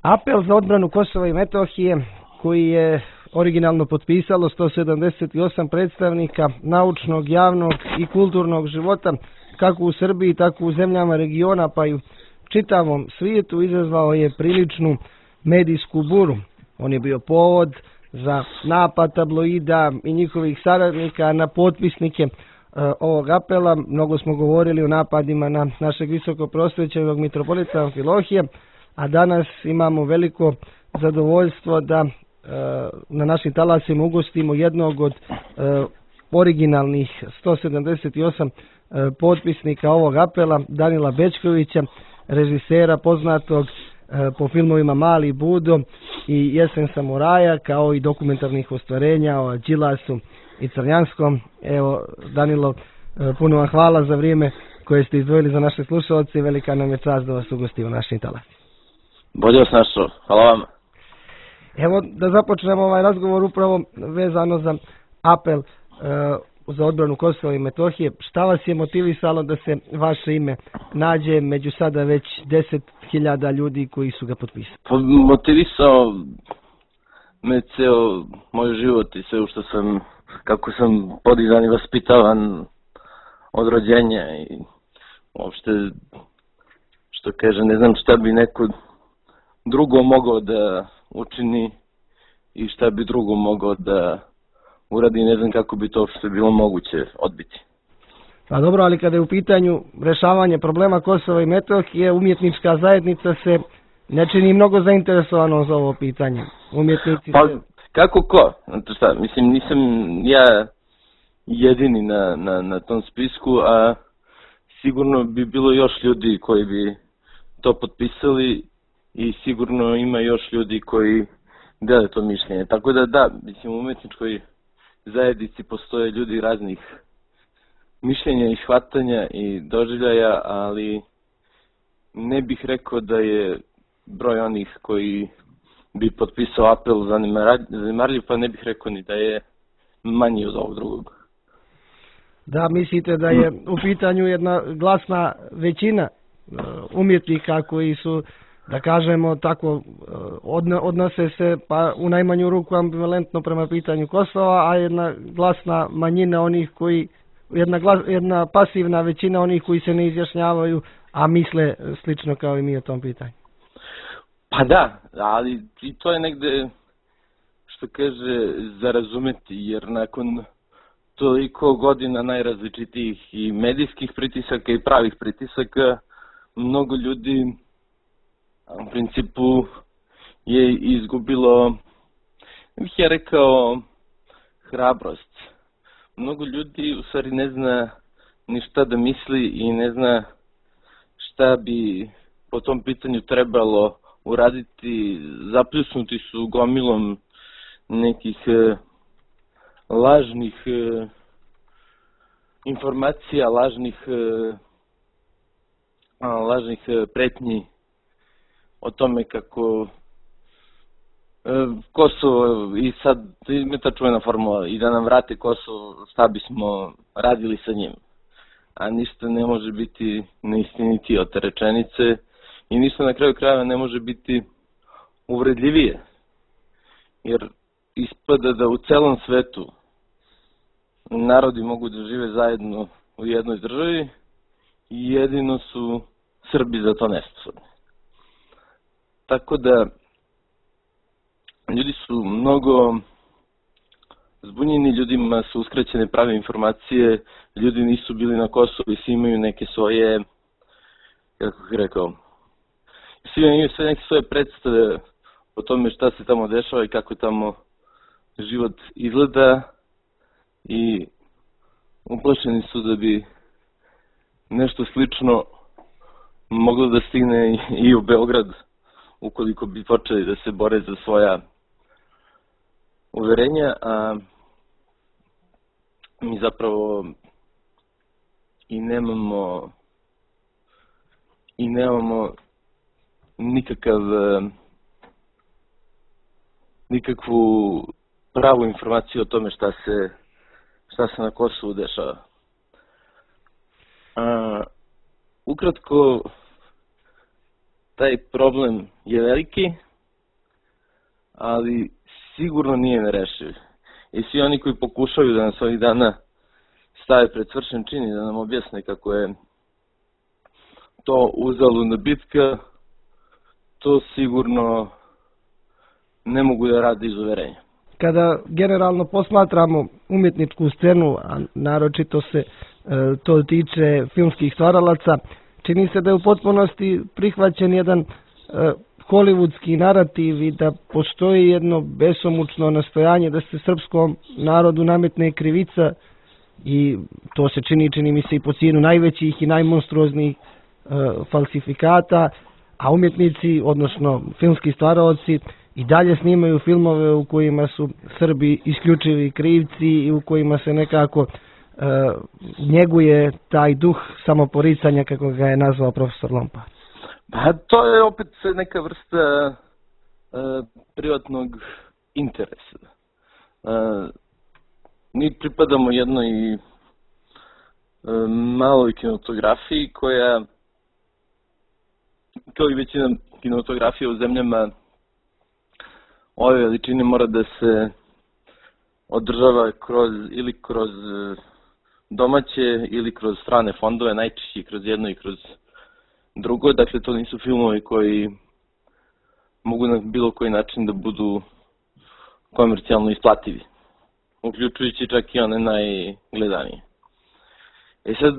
Apel za odbranu Kosova i Metohije koji je originalno potpisalo 178 predstavnika naučnog, javnog i kulturnog života kako u Srbiji, tako u zemljama regiona pa i u čitavom svijetu izazvao je priličnu medijsku buru. On je bio povod za napad tabloida i njihovih saradnika na potpisnike ovog apela. Mnogo smo govorili o napadima na našeg visokoprosvećenog mitropolita Amfilohija, a danas imamo veliko zadovoljstvo da na našim talasima ugostimo jednog od originalnih 178 potpisnika ovog apela, Danila Bećkovića, režisera poznatog po filmovima Mali Budo i Jesen samuraja, kao i dokumentarnih ostvarenja o Đilasu i Crnjanskom. Evo, Danilo, puno vam hvala za vrijeme koje ste izdvojili za naše slušalce i velika nam je čast da vas ugostimo u našim talasima. Bolje vas našao, hvala vam. Evo da započnemo ovaj razgovor upravo vezano za apel za odbranu Kosova i Metohije. Šta vas je motivisalo da se vaše ime nađe među sada već 10.000 ljudi koji su ga potpisali? Pa, motivisao me ceo moj život i sve što sam, kako sam podizan i vaspitavan od rođenja i uopšte, što kaže, ne znam šta bi neko drugo mogao da učini i šta bi drugo mogao da uradi, ne znam kako bi to uopšte bilo moguće odbiti. Pa dobro, ali kada je u pitanju rešavanje problema Kosova i Metohije, umjetnička zajednica se ne čini mnogo zainteresovano za ovo pitanje. Umjetnici pa, kako ko? Znate šta, mislim, nisam ja jedini na tom spisku, a sigurno bi bilo još ljudi koji bi to potpisali i sigurno ima još ljudi koji dele to mišljenje. Tako da, mislim, u umjetničkoj zajednici postoje ljudi raznih mišljenja i shvatanja i doživljaja, ali ne bih rekao da je broj onih koji bi potpisao apel zanemarljiv, pa ne bih rekao ni da je manji od ovog drugog. Da, mislite da je u pitanju jedna glasna većina umjetnika koji su, da kažemo tako, odnose se pa u najmanju ruku ambivalentno prema pitanju Kosova, a jedna glasna manjina onih koji, jedna pasivna većina onih koji se ne izjašnjavaju, a misle slično kao i mi o tom pitanju. Pa da, ali i to je negde, što kaže, za razumeti, jer nakon toliko godina najrazličitijih i medijskih pritisaka i pravih pritisaka, mnogo ljudi u principu je izgubilo, bih ja rekao, hrabrost. Mnogo ljudi u stvari ne zna ni šta da misli i ne zna šta bi po tom pitanju trebalo uraditi. Zapljusnuti su gomilom nekih lažnih informacija, lažnih pretnji o tome kako Kosovo, i sad ima ta čuvena formula, i da nam vrate Kosovo, šta bismo radili sa njim. A ništa ne može biti neistinitije od te rečenice i ništa na kraju krajeva ne može biti uvredljivije. Jer ispada da u celom svetu narodi mogu da žive zajedno u jednoj državi i jedino su Srbi za to nesposobni. Tako da ljudi su mnogo zbunjeni, ljudima su uskraćene prave informacije, ljudi nisu bili na Kosovu i svi imaju neke svoje, kako bih rekao, svi imaju sve neke svoje predstave o tome šta se tamo dešava i kako tamo život izgleda i uplašeni su da bi nešto slično moglo da stigne i u Beograd ukoliko bi počeli da se bore za svoja uverenja, a mi zapravo i nemamo nikakvu pravu informaciju o tome šta se na Kosovu dešava. Ukratko, taj problem je veliki ali sigurno nije nerešiv. I svi oni koji pokušaju da nas ovih dana stave pred svršen čin i da nam objasne kako je to uzaludna bitka, to sigurno ne mogu da rade iz uverenja. Kada generalno posmatramo umjetničku scenu, a naročito se to tiče filmskih stvaralaca, čini se da je u potpunosti prihvaćen jedan hollywoodski narativ i da postoji jedno besomučno nastojanje da se srpskom narodu nametne krivica i to se čini mi se i po cijenu najvećih i najmonstruoznijih falsifikata, a umjetnici, odnosno filmski stvaraoci, i dalje snimaju filmove u kojima su Srbi isključivi krivci i u kojima se nekako njeguje taj duh samoporicanja, kako ga je nazvao profesor Lompar. Pa to je opet neka vrsta privatnog interesa. Mi pripadamo jednoj maloj kinematografiji koja, kao i većina kinematografija u zemljama ove veličine, mora da se održava kroz domaće ili kroz strane fondove, najčešće kroz jedno i kroz drugo. Dakle, to nisu filmovi koji mogu na bilo koji način da budu komercijalno isplativi, uključujući čak i one najgledanije. Sad,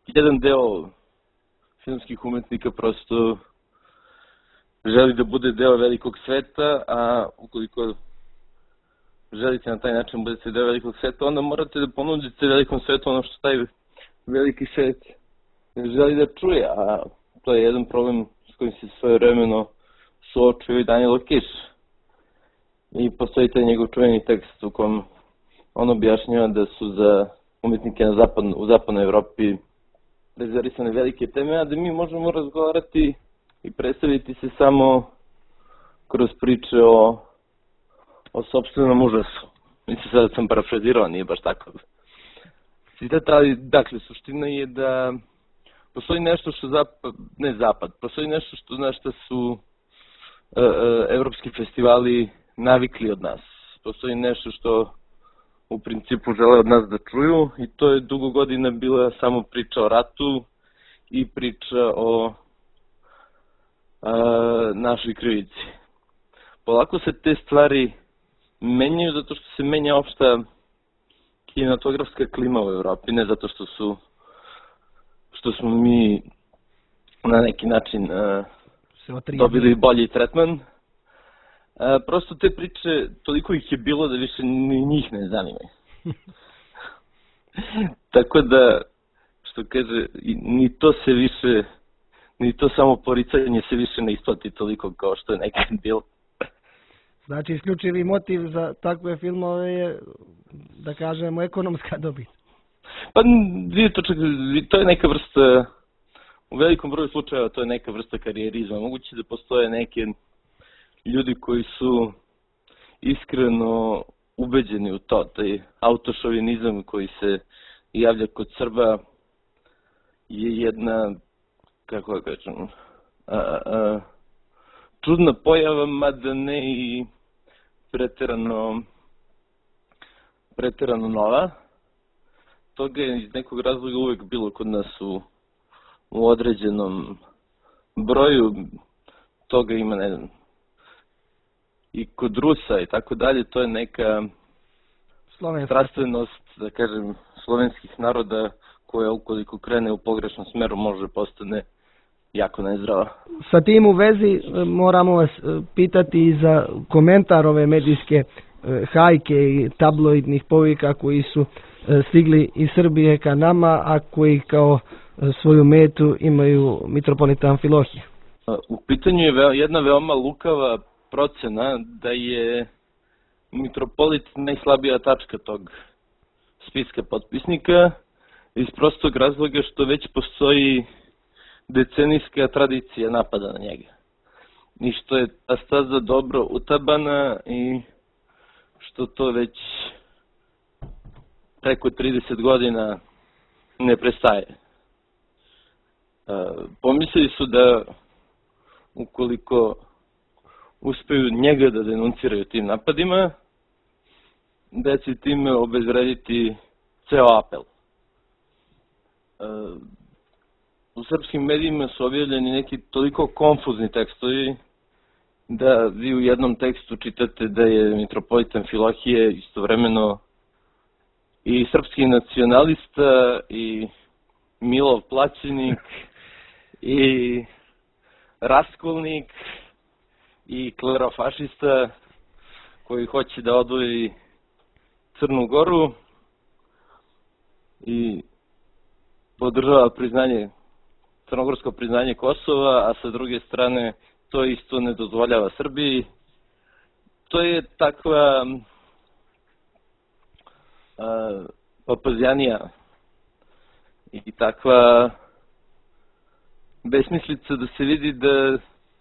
jedan deo filmskih umetnika prosto želi da bude deo velikog sveta, a ukoliko želite na taj način budete deo velikog sveta, onda morate da ponudite velikom svetu ono što taj veliki svet želi da čuje, a to je jedan problem s kojim se svojevremeno suočio i Danilo Kiš. I postoji taj njegov čuveni tekst u kom on objašnjava da su za umjetnike u zapadnoj Evropi rezervisane velike teme, a da mi možemo razgovarati i predstaviti se samo kroz priče o sopstvenom užasu. Mislim, sada sam parafrazirao, nije baš tako citat, ali dakle, suština je da postoji nešto što postoji nešto na što su evropski festivali navikli od nas. Postoji nešto što u principu žele od nas da čuju i to je dugo godina bila samo priča o ratu i priča o našoj krivici. Polako se te stvari menjaju zato što se menja opšta kinematografska klima u Evropi, ne zato što smo mi na neki način dobili bolji tretman. Prosto te priče, toliko ih je bilo da više ni njih ne zanimaju. Tako da, što kaže, ni to samo poricanje se više ne isplati toliko kao što je nekad bilo. Znači, isključivi motiv za takve filmove je, da kažemo, ekonomska dobit. Pa, to je neka vrsta, u velikom broju slučajeva to je neka vrsta karijerizma. Moguće da postoje neke ljudi koji su iskreno ubeđeni u to, taj autošovinizam koji se javlja kod Srba je jedna, kako da kažem, čudna pojava, mada ne i preterano nova. Toga je iz nekog razloga uvek bilo kod nas u određenom broju. Toga ima, ne znam, i kod Rusa i tako dalje. To je neka strastvenost, da kažem, slovenskih naroda koja ukoliko krene u pogrešnom smeru može postane jako nezdrava. Sa tim u vezi moramo vas pitati i za komentar ove medijske hajke i tabloidnih povika koji su stigli iz Srbije ka nama, a koji kao svoju metu imaju mitropolita Amfilohije. U pitanju je jedna veoma lukava procena da je mitropolit najslabija tačka tog spiska potpisnika iz prostog razloga što već postoji decenijska tradicija napada na njega. I što je ta staza dobro utabana i što to već preko 30 godina ne prestaje. Pomislili su da uspeju njega da denunciraju tim napadima, da će time obezvrediti ceo apel. U srpskim medijima su objavljeni neki toliko konfuzni tekstovi da vi u jednom tekstu čitate da je mitropolita Amfilohije istovremeno i srpski nacionalista i Milov plaćenik i raskolnik i klerofašista koji hoće da odvoji Crnu Goru i podržava crnogorsko priznanje Kosova, a sa druge strane to isto ne dozvoljava Srbiji. To je takva papazjanija i takva besmislica da se vidi da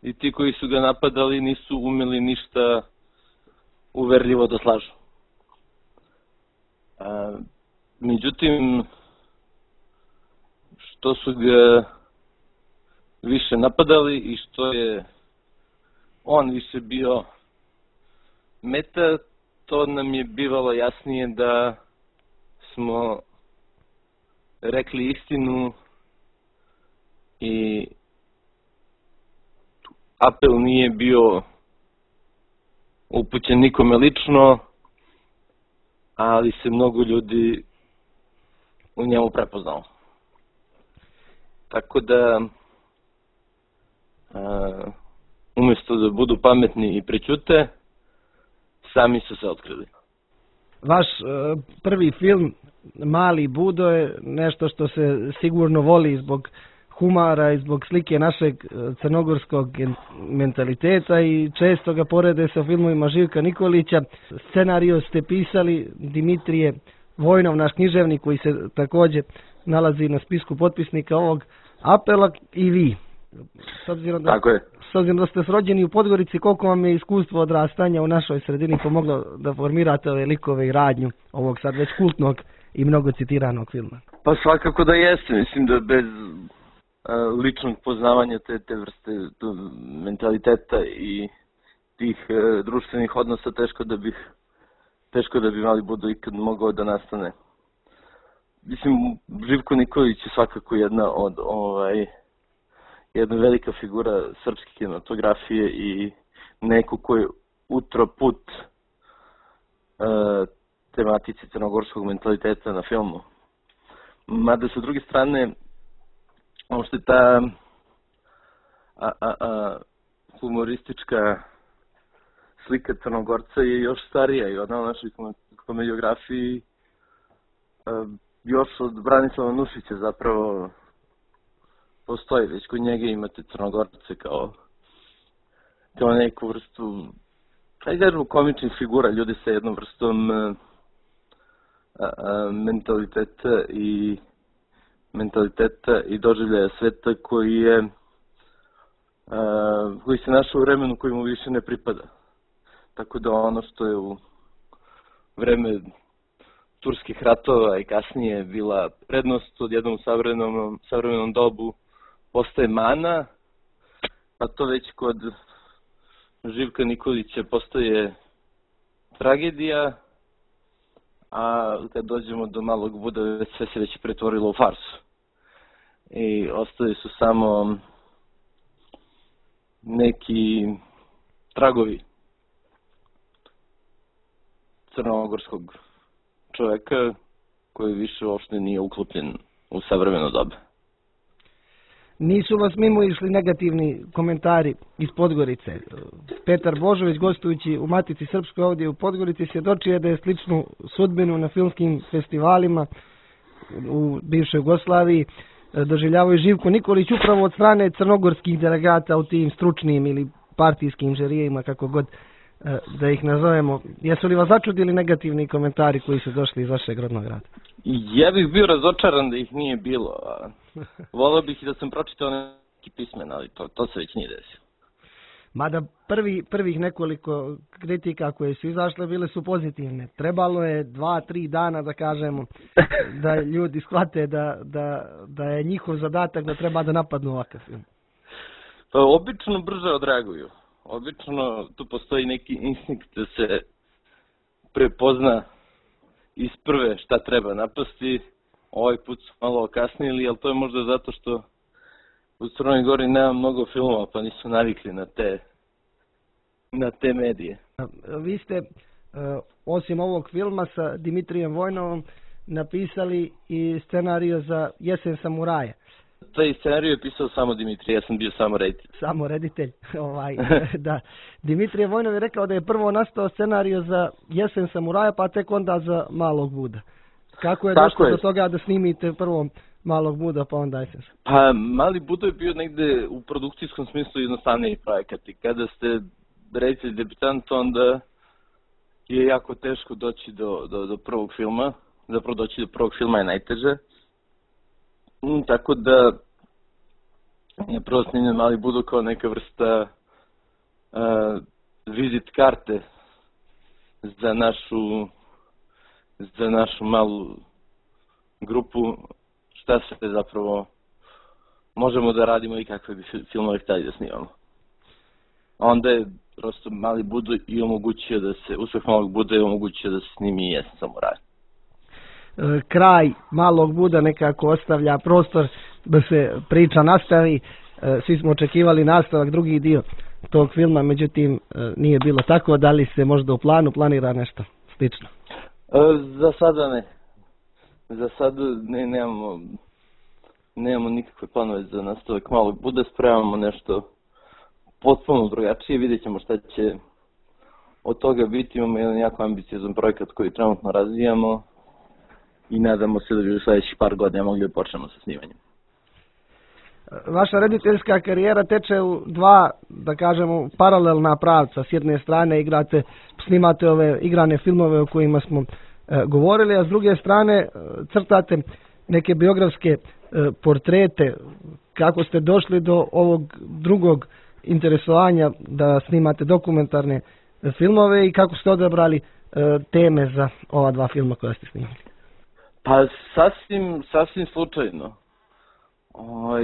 i ti koji su ga napadali nisu umeli ništa uverljivo da slažu. Međutim, što su ga više napadali i što je on više bio meta, to nam je bivalo jasnije da smo rekli istinu i apel nije bio upućen nikome lično, ali se mnogo ljudi u njemu prepoznalo. Tako da, umjesto da budu pametni i prećute, sami su se otkrili. Vaš prvi film, Mali Budo, je nešto što se sigurno voli zbog humora i zbog slike našeg crnogorskog mentaliteta i često ga porede sa filmovima Živka Nikolića. Scenario ste pisali Dimitrije Vojnov, naš književnik koji se također nalazi na spisku potpisnika ovog apela, i vi. S obzirom da ste rođeni u Podgorici, koliko vam je iskustvo odrastanja u našoj sredini pomoglo da formirate ove likove i radnju ovog sad već kultnog i mnogo citiranog filma? Pa svakako da jeste. Mislim da bez ličnog poznavanja te vrste mentaliteta i tih društvenih odnosa teško da bi Mali Budo ikad mogao da nastane. Mislim, Živko Nikolić je svakako jedna velika figura srpske kinematografije i neko ko je utro put tematici crnogorskog mentaliteta na filmu. Mada sa druge strane, što je ta humoristička slika Crnogorca je još starija i ona u našoj komediografiji još od Branislava Nušića zapravo postoji. Već kod njega imate Crnogorce kao neku vrstu, komičnih figura, ljudi sa jednom vrstom mentaliteta i doživljaja sveta koji se našao u vremenu koji mu više ne pripada. Tako da ono što je u vreme turskih ratova i kasnije bila prednost, od jednom savremenom dobu postaje mana, a to već kod Živka Nikolića postaje tragedija, a kad dođemo do Malog Buda sve se već pretvorilo u farsu. I ostali su samo neki tragovi crnogorskog čoveka koji više uopšte nije uklopljen u savremeno doba. Nisu vas mimo išli negativni komentari iz Podgorice. Petar Božović, gostujući u Matici Srpskoj ovdje u Podgorici, svjedočio je da je sličnu sudbinu na filmskim festivalima u bivšoj Jugoslaviji doživljavao i Živko Nikolić upravo od strane crnogorskih delegata u tim stručnim ili partijskim žerijima, kako god da ih nazovemo. Jesu li vas začudili negativni komentari koji su došli iz vašeg rodnog grada? Ja bih bio razočaran da ih nije bilo. Volio bih i da sam pročitao neki pismen, ali to se već nije desilo. Mada prvih nekoliko kritika koje su izašle bile su pozitivne. Trebalo je 2-3 dana da kažemo da ljudi shvate da je njihov zadatak da treba da napadnu ovakav film. Pa obično brže odreaguju. obično tu postoji neki instinkt da se prepozna iz prve šta treba napasti. Ovaj put su malo okasnili, ali to je možda zato što u Crnoj Gori nema mnogo filmova, pa nisu navikli na te medije. Vi ste, osim ovog filma sa Dimitrijem Vojnovom, napisali i scenariju za Jesen samuraja. Taj scenariju je pisao samo Dimitrij, ja sam bio samo reditelj. Samo reditelj, da. Dimitrije Vojnov je rekao da je prvo nastao scenariju za Jesen samuraja, pa tek onda za Malog Buda. Kako je došlo do toga da snimite prvo Malog Buda, pa onda Jesen? Pa, Mali Buda je bio negde u produkcijskom smislu jednostavniji projekat i kada ste reditelj debitant, onda je jako teško doći do prvog filma. Zapravo doći do prvog filma je najteže. Tako da je prvo snimljen Mali Buda kao neka vrsta vizit karte za našu malu grupu, šta se zapravo možemo da radimo i kakve bi filmove htjeli da snimamo. Onda je prosto Mali Buda i omogućio da se, uspeh Malog Buda je omogućio da se snimi i Jesen samuraja. Kraj Malog Buda nekako ostavlja prostor da se priča nastavi. Svi smo očekivali nastavak, drugi dio tog filma, međutim nije bilo tako. Da li se možda u planu planira nešto slično? Za sada ne. Za sada nemamo nikakve planove za nastavak Malog Buda, spremamo nešto potpuno drugačije, vidjet ćemo šta će od toga biti. Imamo jedan jako ambiciozan projekat koji trenutno razvijamo i nadamo se da bi u sljedećih par godina mogli da počnemo sa snimanjem. Vaša rediteljska karijera teče u dva, da kažemo, paralelna pravca. S jedne strane snimate ove igrane filmove o kojima smo govorili, a s druge strane crtate neke biografske portrete. Kako ste došli do ovog drugog interesovanja da snimate dokumentarne filmove i kako ste odabrali teme za ova dva filma koja ste snimali? Pa sasvim slučajno.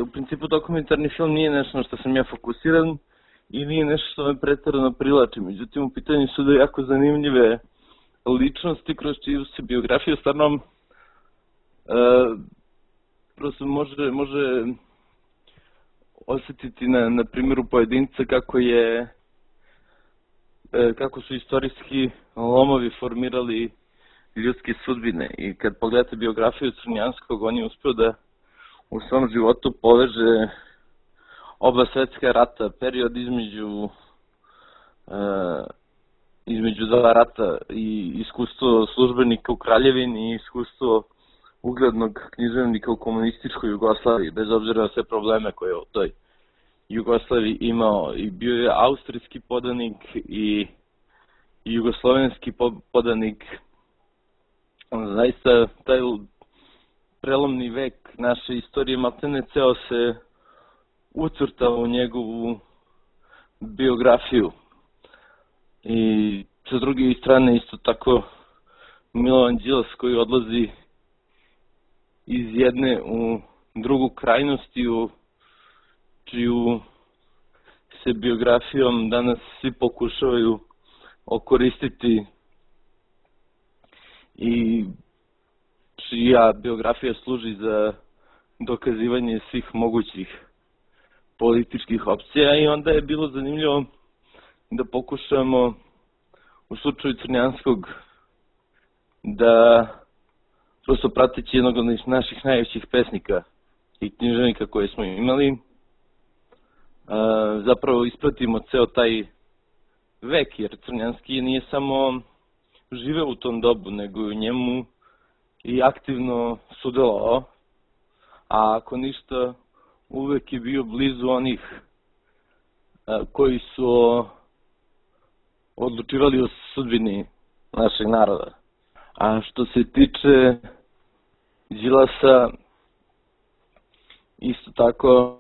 U principu dokumentarni film nije nešto na što sam ja fokusiran i nije nešto što me pretjerano privlači. Međutim, u pitanju su da jako zanimljive ličnosti kroz čiju se biografiju stvarno prosto može osjetiti na primjeru pojedinca kako su istorijski lomovi formirali ljudske sudbine. I kad pogledate biografiju Crnjanskog, on je uspio da u svom životu poveže oba svetska rata, period između dva rata i iskustvo službenika u Kraljevini i iskustvo uglednog književnika u komunističkoj Jugoslaviji, bez obzira na sve probleme koje je u toj Jugoslaviji imao. I bio je austrijski podanik i jugoslovenski podanik. Zaista taj prelomni vek naše istorije maltene ceo se ucrtao u njegovu biografiju. I sa druge strane isto tako Milovan Đilas koji odlazi iz jedne u drugu krajnost, čiju se biografijom danas svi pokušavaju okoristiti i čija biografija služi za dokazivanje svih mogućih političkih opcija. I onda je bilo zanimljivo da pokušamo u slučaju Crnjanskog da prosto prateći jednog od naših najvećih pesnika i književnika koje smo imali, zapravo ispratimo ceo taj vek, jer Crnjanski nije samo živeo u tom dobu, nego i u njemu i aktivno sudjelovao, a ako ništa uvek je bio blizu onih koji su odlučivali o sudbini našeg naroda. A što se tiče Đilasa, isto tako,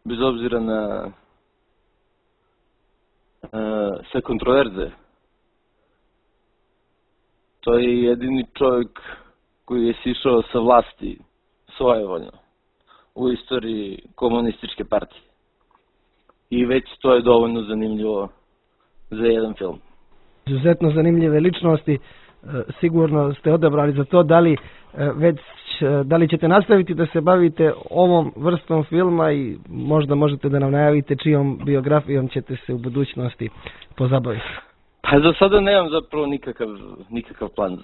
bez obzira na sve kontroverze, to je jedini čovjek koji je sišao sa vlasti svojevoljno u istoriji komunističke partije. i već to je dovoljno zanimljivo za jedan film. Izuzetno zanimljive ličnosti, sigurno ste odabrali za to. Da li ćete nastaviti da se bavite ovom vrstom filma i možda možete da nam najavite čijom biografijom ćete se u budućnosti pozabaviti? Pa za sada nemam zapravo nikakav plan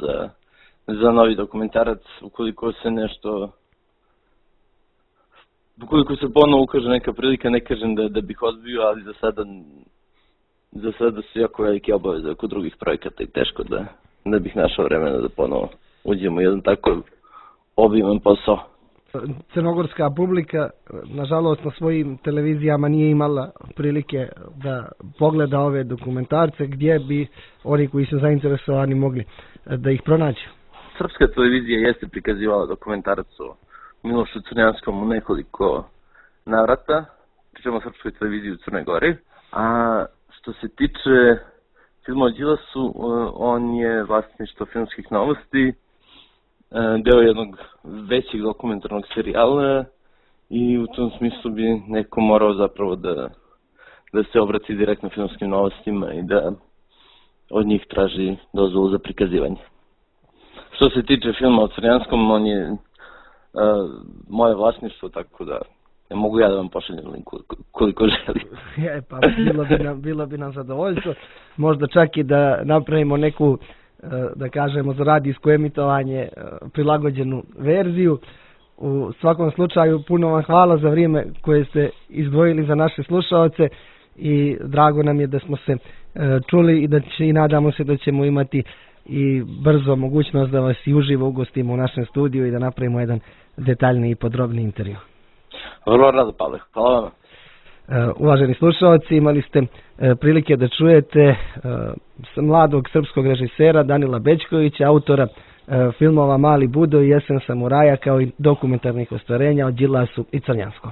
za novi dokumentarac. Ukoliko se ponovo ukaže neka prilika, ne kažem da bih odbio, ali za sada su jako velike obaveze oko drugih projekata i teško da bih našao vremena da ponovo uđemo u jedan tako obiman posao. Crnogorska publika, nažalost, na svojim televizijama nije imala prilike da pogleda ove dokumentarce, gdje bi oni koji su zainteresovani mogli da ih pronađu. Srpska televizija jeste prikazivala dokumentarac o Milošu Crnjanskom u nekoliko navrata, pričamo o Srpskoj televiziji u Crnoj Gori. A što se tiče filma o Đilasu, on je vlasništvo Filmskih novosti, deo jednog većeg dokumentarnog serijala i u tom smislu bi neko morao zapravo da se obrati direktno Filmskim novostima i da od njih traži dozvolu za prikazivanje. Što se tiče filma o Crnjanskom, on je moje vlasništvo, tako da ne mogu ja da vam pošaljem link koliko želim. Pa bilo bi nam zadovoljstvo, možda čak i da napravimo neku, da kažemo, za radijsko emitovanje prilagođenu verziju. U svakom slučaju puno vam hvala za vrijeme koje ste izdvojili za naše slušaoce i drago nam je da smo se čuli i nadamo se da ćemo imati i brzo mogućnost da vas i uživo ugostimo u našem studiju i da napravimo jedan detaljni i podrobni intervju. Vrlo rado, Pavle. Hvala vam. Uvaženi slušalci, imali ste prilike da čujete mladog srpskog režisera Danila Bećkovića, autora filmova Mali Budo i Jesen samuraja, kao i dokumentarnih ostvarenja o Đilasu i Crnjanskom.